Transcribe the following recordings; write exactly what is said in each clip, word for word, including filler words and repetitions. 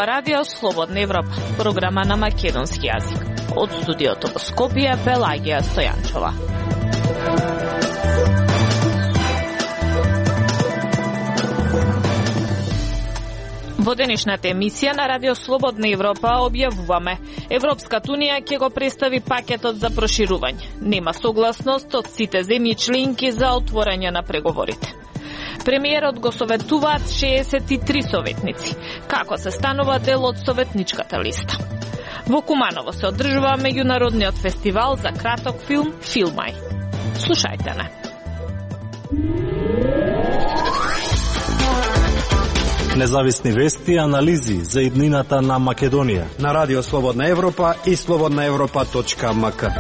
ова радио Слободна Европа, програма на македонски јазик. Од студиото во Скопје, Пелагија Стојанчова. Во денешната емисија на Радио Слободна Европа објавуваме: Европската унија ќе го представи пакетот за проширување. Нема согласност од сите земји членки за отворање на преговорите. Премиерот го советуваат шеесет и три советници. Како се станува дел од советничката листа? Во Куманово се одржува меѓународниот фестивал за краток филм Филмај. Слушајте не. Независни вести и анализи за иднината на Македонија на Радио Слободна Европа и слободна европа точка ем ка.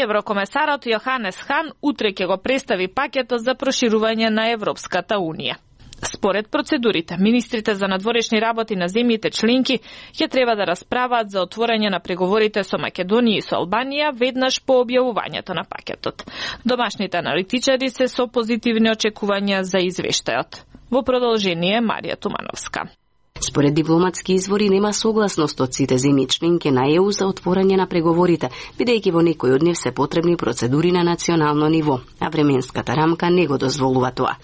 Еврокомесарот Јоханес Хан утре ќе го представи пакетот за проширување на Европската унија. Според процедурите, министрите за надворешни работи на земјите членки ќе треба да расправаат за отворање на преговорите со Македонија и со Албанија веднаш по објавувањето на пакетот. Домашните аналитичари се со позитивни очекувања за извештајот. Во продолжение Марија Тумановска. Според дипломатски извори нема согласност од сите земји членки на Е У за отворање на преговорите, бидејќи во некој од нив се потребни процедури на национално ниво, а временската рамка не го дозволува тоа.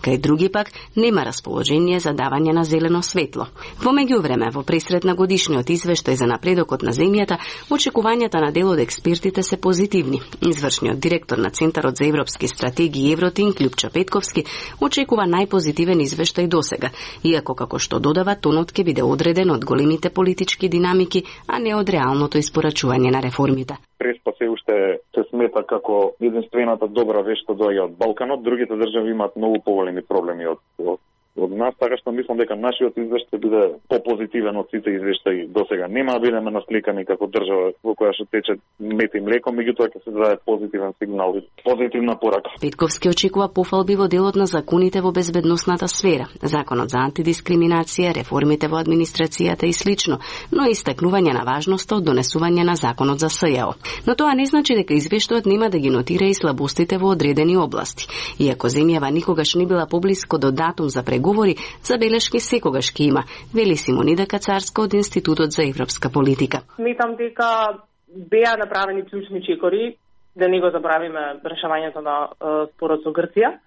Кај други пак нема расположение за давање на зелено светло. Во меѓувреме, во пресрет на годишниот извештај за напредокот на земјата, очекувањата на дел од експертите се позитивни. Извршниот директор на Центарот за европски стратегии Евротин, Љупчо Петковски, очекува најпозитивен извештај досега, иако како што додава, тонот ќе биде одреден од големите политички динамики, а не од реалното испорачување на реформите. Преспа се уште се смета како единствената добра вест што доаѓа од Балканот, другите држави имаат многу поголеми проблеми од, од, од нас, така што мислам дека нашиот извештај биде попозитивен од сите извештаи досега. Нема да бидеме насликани како држава во која што тече мет и млеко, меѓутоа ќе се даде позитивен сигнал и позитивна порака. Петковски очекува пофалби во делот на законите во безбедносната сфера, законот за антидискриминација, реформите во администрацијата и слично, но и истакнување на важноста од донесување на законот за С Ј О. Но тоа не значи дека извештајот нема да ги нотира и слабостите во одредени области. Иако земјава никогаш не била поблиско до датум за преговори, забелешки секогаш ки има, вели Симонида Кацарска од Институтот за европска политика. Сметам дека беа направени клучни чекори, да не го забравиме решавањето на е, спорот со Грција.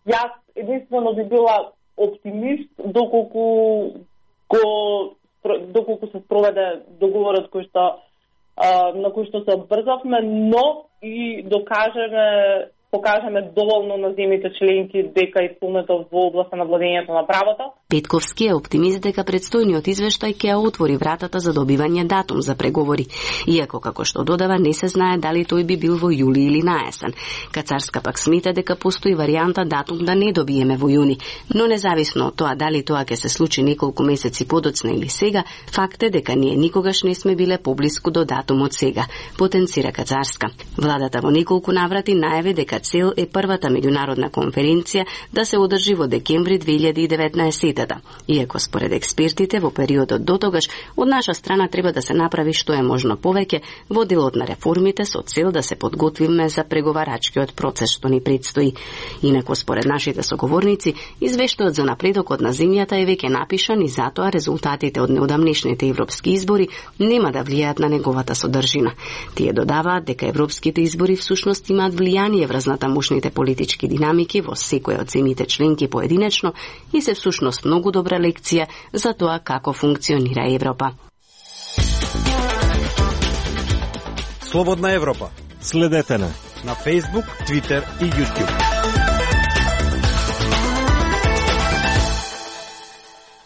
Јас единствено би била оптимист доколку го доколку се спроведе договорот кој што е, на кој што се обврзавме, но и докажеме покажеме доволно на земјите членки дека исполнето во областа на владењето на правото. Петковски е оптимист дека предстојниот извештај ќе отвори вратата за добивање датум за преговори, иако како што додава не се знае дали тој би бил во јули или на есен. Кацарска пак смета дека постои варијанта датум да не добиеме во јуни, но независно од тоа дали тоа ќе се случи неколку месеци подоцна или сега, факт е дека ние никогаш не сме биле поблиску до датумот сега, потенцира Кацарска. Владата во неколку наврати најави дека цел е првата меѓународна конференција да се одржи во декември две илјади и деветнаесетта. Иако според експертите во периодот до тогаш од наша страна треба да се направи што е можно повеќе во делот на реформите со цел да се подготвиме за преговарачкиот процес што ни предстои. Инаку според нашите соговорници, извештајот за напредокот на земјата е веќе напишан и затоа резултатите од неодамнешните европски избори нема да влијаат на неговата содржина. Тие додаваат дека европските избори всушност имаат влијание врз натамошните политички динамики во секоја од земјите членки поединечно и се всушност многу добра лекција за тоа како функционира Европа. Слободна Европа. Следете на на Facebook, Twitter и YouTube.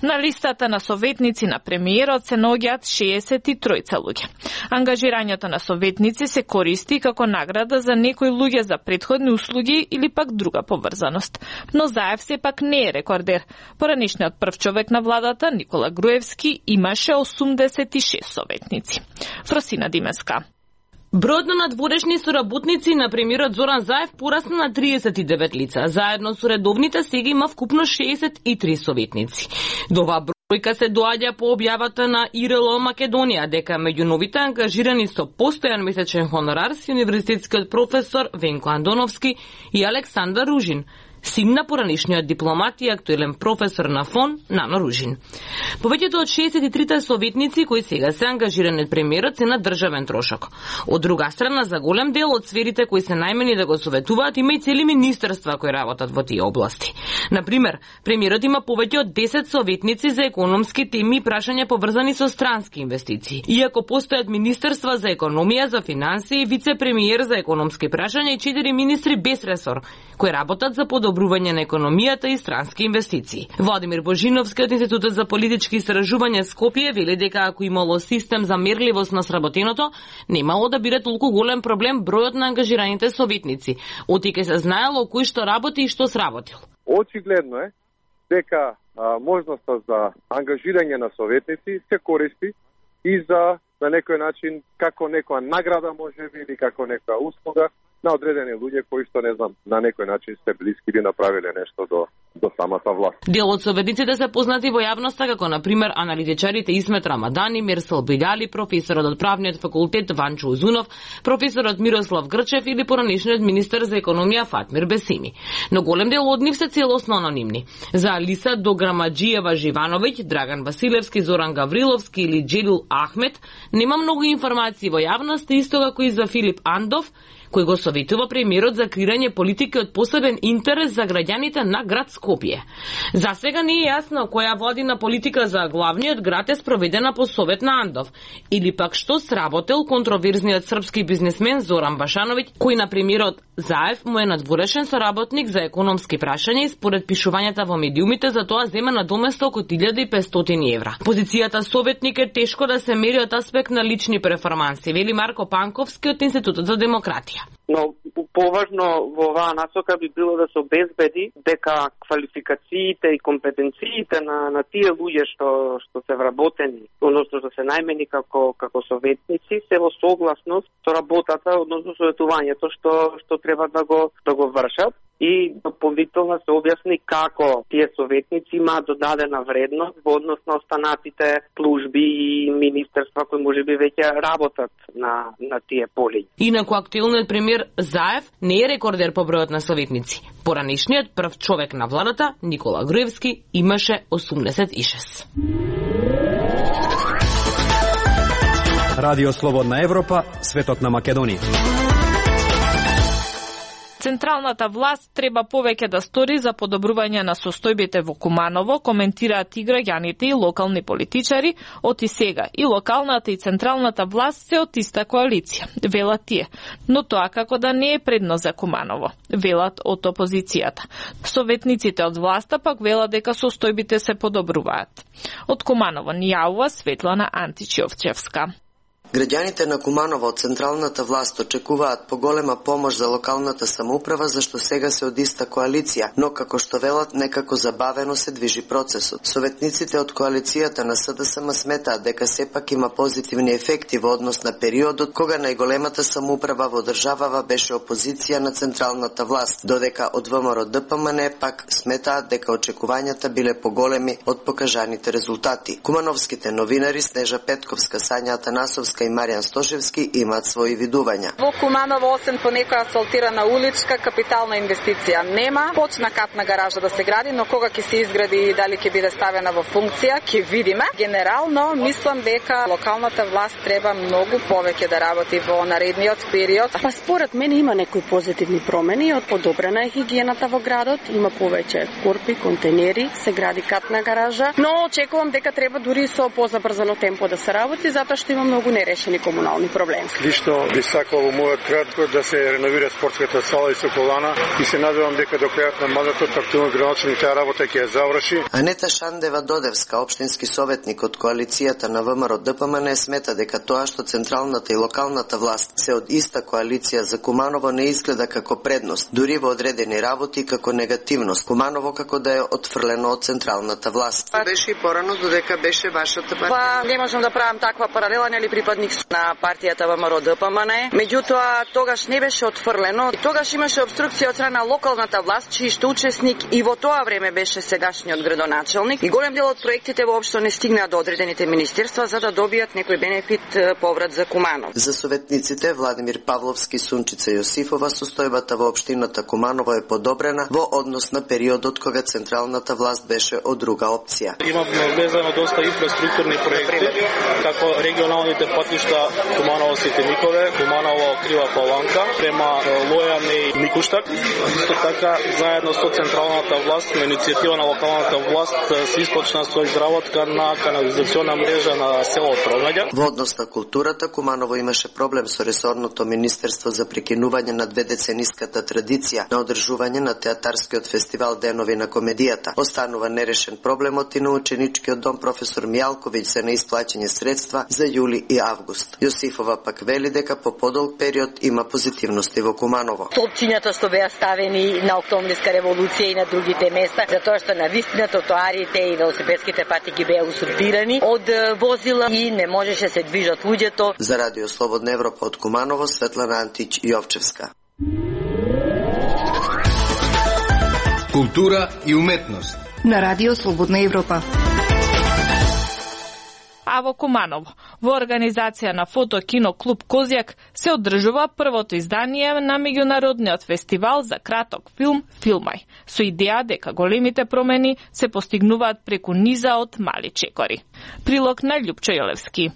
На листата на советници на премиерот се наоѓаат шеесет и тројца луѓе. Ангажирањето на советници се користи како награда за некои луѓе за претходни услуги или пак друга поврзаност. Но Заев сепак не е рекордер. Поранешниот прв човек на владата, Никола Груевски, имаше осумдесет и шест советници. Фросина Димеска. Бројот на надворешни соработници на премиерот Зоран Заев порасна на триесет и девет лица. Заедно со редовните сега има вкупно шеесет и три советници. До оваа бројка се доаѓа по објавата на И Р Л Македонија дека меѓу новите ангажирани со постојан месечен хонорар си универзитетскиот професор Венко Андоновски и Александар Ружин. син на поранишниот дипломат и актуелен професор на ФОН Нано Ружин. Повеќето од шеесет и трите советници кои сега се ангажирани од премиерот се на државен трошок. Од друга страна, за голем дел од сферите кои се најмени да го советуваат, има и цели министерства кои работат во тие области. Например, премиерот има повеќе од десет советници за економски теми и прашања поврзани со странски инвестиции. Иако постојат министерства за економија, за финансии, вице-премиер за економски прашања и четири министри без ресор, кои работат за подобрување на економијата и странски инвестиции. Владимир Божиновски од Институтот за политички истражувања Скопје вели дека ако имало систем за мерливост на сработеното, немало да биде толку голем проблем бројот на ангажираните советници. Отике се знаело кој што работи и што сработил. Очигледно е дека а, можноста за ангажирање на советници се користи и за на некој начин како некоја награда можеби или како некоја услуга на одредени луѓе кои што не знам на некој начин се блиски или направиле нешто до до самата власт. Дел од советниците се познати во јавноста како на пример аналитичарите Исмет Рамадани, Мирсел Бидали, професорот од правниот факултет Ванчо Узунов, професорот Мирослав Грчев или поранишниот министер за економија Фатмир Бесими. Но голем дел од нив се целосно анонимни. За Алиса Дограмаджиева Живановиќ, Драган Василевски, Зоран Гавриловски или Джелил Ахмет нема многу информации во јавноста, исто како и за Филип Андов, кој го советува премиерот за креирање политики од посебен интерес за граѓаните на град Скопје. За сега не е јасно која владина политика за главниот град е спроведена по совет на Андов, или пак што сработел контроверзниот српски бизнисмен Зоран Башановиќ, кој на премиерот Заев му е надворешен соработник за економски прашања и според пишувањата во медиумите за тоа зема на доместо околу илјада и петстотини евра. Позицијата советник е тешко да се мери од аспект на лични перформанси, вели Марко Панковски од Институтот за демократија. Но поважно во оваа насока би било да се обезбеди дека квалификациите и компетенциите на на тие луѓе што што се вработени, односно што се најмени како како советници, се во согласност со работата, односно советувањето што што треба да го да го вршат, и дополнително се објасни како тие советници имаат додадена вредност во однос на останатите служби и министерства кои можеби веќе работат на на тие поли. Инаку актуелниот премиер Заев не е рекордер по бројот на советници. Поранишниот прв човек на владата, Никола Груевски, имаше осумдесет и шест. Радио Слободна Европа, светот на Македонија. Централната власт треба повеќе да стори за подобрување на состојбите во Куманово, коментираат и граѓаните и локални политичари. Од и сега и локалната и централната власт се од иста коалиција, велат тие. Но тоа како да не е предно за Куманово, велат од опозицијата. Советниците од власта пак велат дека состојбите се подобруваат. Од Куманово ни јавува Светлана Античевчевска. Граѓаните на Куманово од централната власт очекуваат поголема помош за локалната самоуправа, зашто сега се од иста коалиција, но како што велат некако забавено се движи процесот. Советниците од коалицијата на СДСМ сметаат дека сепак има позитивни ефекти во однос на периодот кога најголемата самоуправа во државава беше опозиција на централната власт, додека од ВМРО ДПМН пак сметаат дека очекувањата биле поголеми од покажаните резултати. Кумановските новинари Снежа Петковска, Сања Атанасовска и Маријан Стошевски имаат своји видувања. Во Куманово, освен по некоја асфалтирана уличка, капитална инвестиција нема. Почна катна гаража да се гради, но кога ќе се изгради и дали ќе биде ставена во функција, ќе видиме. Генерално, мислам дека локалната власт треба многу повеќе да работи во наредниот период. Па според мене има некои позитивни промени, од подобрена е хигиената во градот, има повеќе корпи, контейнери, се гради катна гаража, но очекувам дека треба дури со позабрзано темпо да се работи, затоа што има многу нерешени комунални проблеми. Лично би сакал во мојот град да се реновира спортската сала и соколана и се надевам дека до крајот на мандатот актуелниот градоначелник таа работа ќе ја заврши. Анета Шандева Додевска, општински советник од коалицијата на ВМРО ДПМН, смета дека тоа што централната и локалната власт се од иста коалиција за Куманово не изгледа како предност, дури во одредени работи како негативност. Куманово како да е отфрлено од централната власт. Беше и порано додека беше вашата партија. Па не можам да правам таква паралела, нели припадам соратник на партијата ВМРО Д П М Н Е. Меѓутоа тогаш не беше отфрлено. Тогаш имаше обструкција од страна на локалната власт, чиј што учесник и во тоа време беше сегашниот градоначелник. И голем дел од проектите воопшто не стигнаа до одредените министерства за да добијат некој бенефит поврат за Куманово. За советниците Владимир Павловски, Сунчица Јосифова, состојбата во општината Куманово е подобрена во однос на периодот кога централната власт беше од друга опција. Имаме влезено доста инфраструктурни проекти, како регионалните патишта Куманово Ситеникове, Куманово Крива Паланка, према Лојане и Микуштак. Исто така, заедно со централната власт, на иницијатива на локалната власт, се испочна со изработка на канализациона мрежа на село Трогаѓа. Во однос на културата, Куманово имаше проблем со ресорното министерство за прекинување на дведецениската традиција на одржување на театарскиот фестивал Денови на комедијата. Останува нерешен проблемот и на ученичкиот дом професор Мијалковиќ за неисплаќање средства за јули и август. Јосифова пак вели дека по подолг период има позитивности во Куманово. Столпчињата што беа ставени на Октомврска револуција и на другите места, затоа што на вистина тротоарите и велосипедските патеки беа усурбирани од возила и не можеше се движат луѓето. За Радио Слободна Европа од Куманово, Светлана Антич Јовчевска. Култура и уметност на Радио Слободна Европа. А во Куманово, во организација на Фото Кино Клуб Козјак се одржува првото издание на меѓународниот фестивал за краток филм Филмај, со идеја дека големите промени се постигнуваат преку низа од мали чекори. Прилог на Љупчо Јолевски.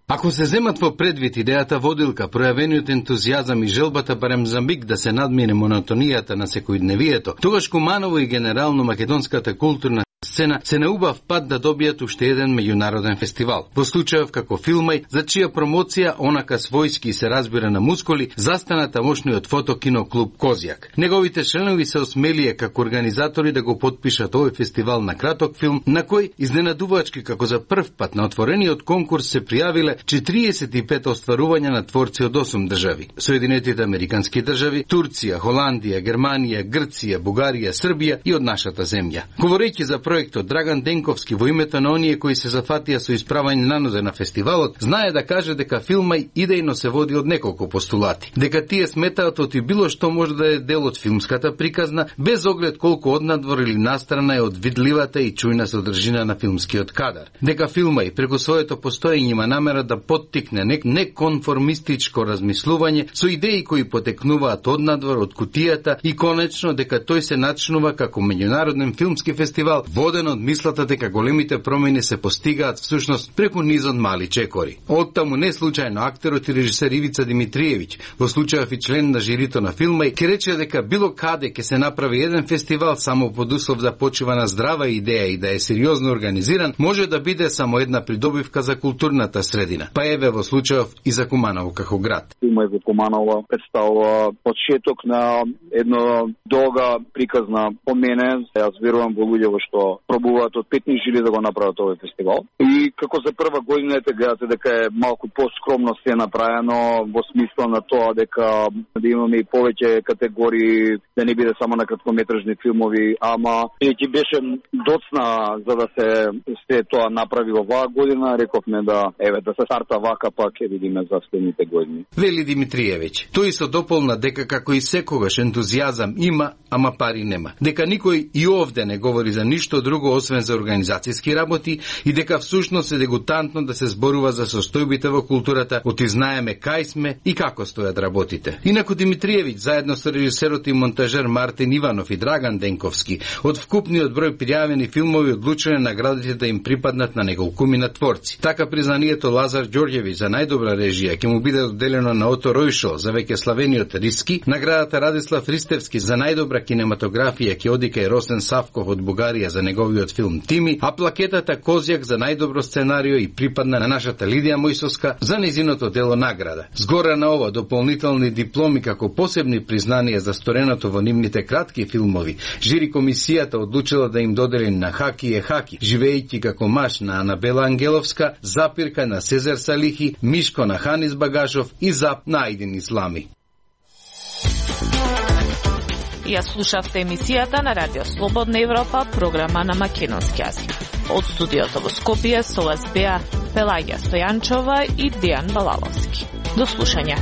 Ако се земат во предвид идејата водилка, пројавениот ентузијазам и желбата барем Замбик да се надмине монотонијата на секојдневието, тогаш Куманово и генерално македонската културна сцена се на убав пат да добијат уште еден меѓународен фестивал. Во случајов како Филмај, за чија промоција онака својски се разбира на мускули, застана тамошниот Фото Кино Клуб Козјак. Неговите членови се осмелија како организатори да го потпишат овој фестивал на краток филм, на кој изненадувачки како за прв пат на отворениот конкурс се пријавиле четириесет и пет остварувања на творци од осум држави: Соединетите американски држави, Турција, Холандија, Германија, Грција, Бугарија, Србија и од нашата земја. Говорејќи за проектот, Драган Денковски, во името на оние кои се зафатија со исправање на нозе на фестивалот, знае да каже дека Филмај идејно се води од неколку постулати. Дека тие сметаат оти било што може да е дел од филмската приказна, без оглед колку однадвор или настрана е од видливата и чујна содржина на филмскиот кадар. Дека Филмај преку своето постоење има намера да поттикне нек неконформистичко размислување со идеи кои потекнуваат однадвор од кутијата и конечно дека тој се начинува како меѓународен филмски фестивал воден од мислата дека големите промени се постигаат всушност преку низон мали чекори. Оттаму не случајно актерот и режисер Ивица Димитриевиќ, во случајов и член на жирито на Филмај, ке рече дека било каде ке се направи еден фестивал само под услов да почива на здрава идеја и да е сериозно организиран, може да биде само една придобивка за културната средина. Па еве во случајов и за Куманово како град. Филмај во Куманово представува почеток на една долга приказна по мене. Јас верувам во луѓе во што пробуваат од петни жили да го направат овој фестивал. И како за прва година ете гледате дека е малку поскромно се направено во смисла на тоа дека да имаме и повеќе категории, да не биде само на краткометражни филмови, ама и ќе беше доцна за да се се тоа направи оваа година, рековме да еве да се старта вака, па ќе видиме за следните години. Вели Димитриевиќ. Тој со дополна дека како и секогаш ентузијазам има, ама пари нема. Дека никој и овде не говори за ништо друго освен за организацијски работи и дека всушност е дегутантно да се зборува за состојбите во културата, оти знаеме кај сме и како стојат работите. Инаку Димитриевиќ заедно со режисерот и монтажер Мартин Иванов и Драган Денковски од вкупниот број пријавени филмови одлучиле наградите да им припаднат на неколкумина творци. Така признанието Лазар Ѓорѓевиќ за најдобра режија ќе му биде одделено на Ото Ројшо за веќе славениот Риски, наградата Радислав Ристевски за најдобра кинематографија ќе оди кај Росен Савков од Бугарија за неговиот филм Тими, а плакетата Козјак за најдобро сценарио и припадна на нашата Лидија Мојсовска за нејзиното дело награда. Згора на ова дополнителни дипломи како посебни признанија за стореното во нивните кратки филмови, жири комисијата одлучила да им додели на Хаки е Хаки, живеејќи како маж на Анабела Ангеловска, Запирка на Сезар Салихи, Мишко на Ханис Багашов и Зап на Ајдин Ислами. Ја слушавте емисијата на Радио Слободна Европа, програма на македонски јазик. Од студиото во Скопје со вас беа Пелагија Стојанчова и Дејан Балаловски. До слушање.